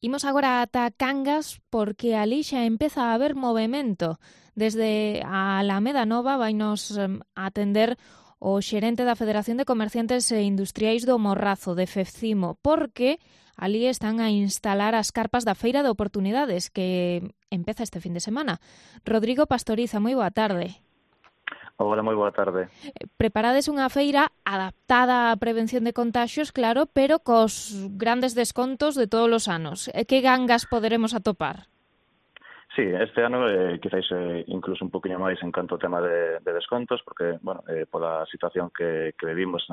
Imos agora ata Cangas porque ali xa empeza a haber movimento. Desde a Alameda Nova vainos atender o xerente da Federación de Comerciantes e Industriais do Morrazo, de FEFCIMO, porque ali están a instalar as carpas da Feira de Oportunidades, que empeza este fin de semana. Rodrigo Pastoriza, moi boa tarde. Hola, moi boa tarde. Preparades unha feira adaptada á prevención de contaxios, claro, pero cos grandes descontos de todos os anos. Que gangas poderemos atopar? Sí, este ano quizáis incluso un poquinho máis en canto ao tema de descontos, porque, bueno, pola situación que vivimos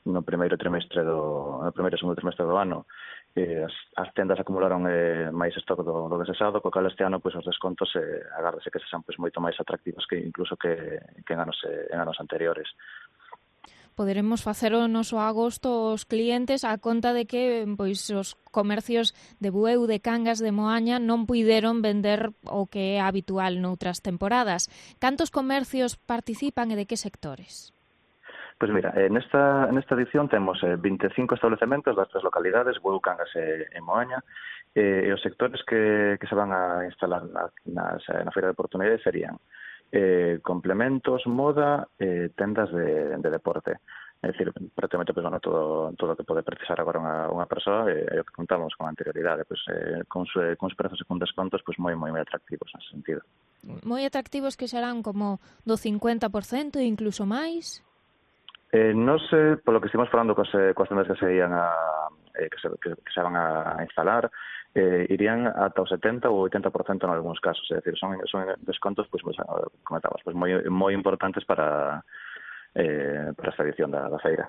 no primeiro e segundo trimestre do ano, as tendas acumularon máis stock do desexado, co cal este ano pois os descontos agárdase que sexan pois moito máis atractivos que incluso que en anos anteriores. Poderemos facer o noso agosto os clientes a conta de que pois os comercios de Bueu, de Cangas, de Moaña non puideron vender o que é habitual noutras temporadas. Cantos comercios participan e de que sectores? Pois mira, nesta edición temos 25 establecementos das tres localidades, Bueu, Cangas e Moaña, e os sectores que se van a instalar na Feira de Oportunidades serían complementos, moda, tendas de deporte. É dicir, prácticamente pues, bueno, todo o que pode precisar agora unha persoa é o que contamos con anterioridade, pues, con os prezos e con descontos pues, moi atractivos nesse sentido. Moi atractivos que serán como do 50% e incluso máis? Non sei, polo que estivemos falando coas tendas que se ian que se van a instalar, irían ata o 70 ou 80% en algúns casos, é dicir, son descontos, pois, comentabas, pois moi importantes para esta edición da feira.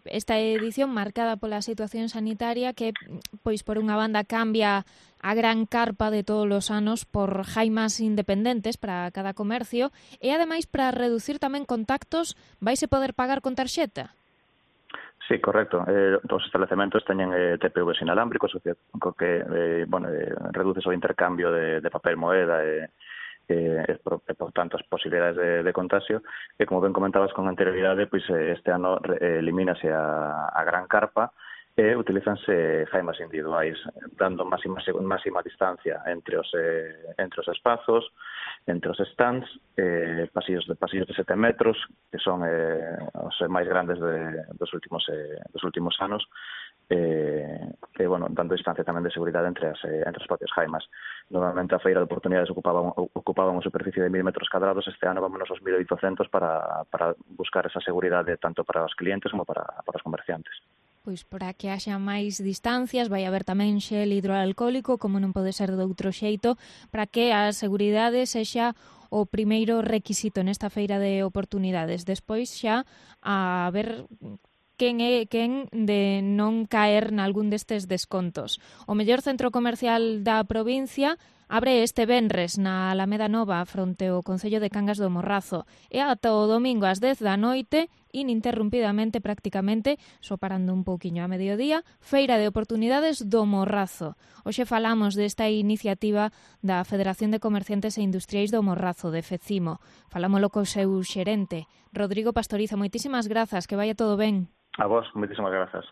Esta edición marcada pola situación sanitaria que, pois, por unha banda cambia a gran carpa de todos os anos por jaimas independentes para cada comercio e, ademais, para reducir tamén contactos, vaise poder pagar con tarxeta? Sí, correcto. Os establecementos teñen TPVs inalámbricos, co que reduces o intercambio de papel moeda e por tanto as posibilidades de contagio, e como ben comentabas con anterioridade, pois este ano elimínase a gran carpa e utilizanse jaimas individuais, dando máxima distancia entre os espazos, entre os stands, pasillos de 7 metros, que son os máis grandes dos últimos anos, bueno, dando distancia tamén de seguridade entre as propias jaimas. Normalmente a Feira de Oportunidades ocupaba unha superficie de 1000 metros cadrados, este ano vámonos aos 1800 para buscar esa seguridade tanto para os clientes como para os comerciantes. Pois para que haxa máis distancias, vai haber tamén xel hidroalcohólico, como non pode ser de outro xeito, para que a seguridade sexa o primeiro requisito nesta feira de oportunidades. Despois xa a ver quen de non caer nalgún destes descontos. O mellor centro comercial da provincia abre este venres na Alameda Nova fronte ao Concello de Cangas do Morrazo e ata o domingo ás 10 da noite, ininterrumpidamente prácticamente, só parando un pouquiño a mediodía, Feira de Oportunidades do Morrazo. Hoxe falamos desta iniciativa da Federación de Comerciantes e Industriais do Morrazo, de FECIMO. Falámolo co seu xerente, Rodrigo Pastoriza. Moitísimas grazas, que vaya todo ben. A vos, moitísimas grazas.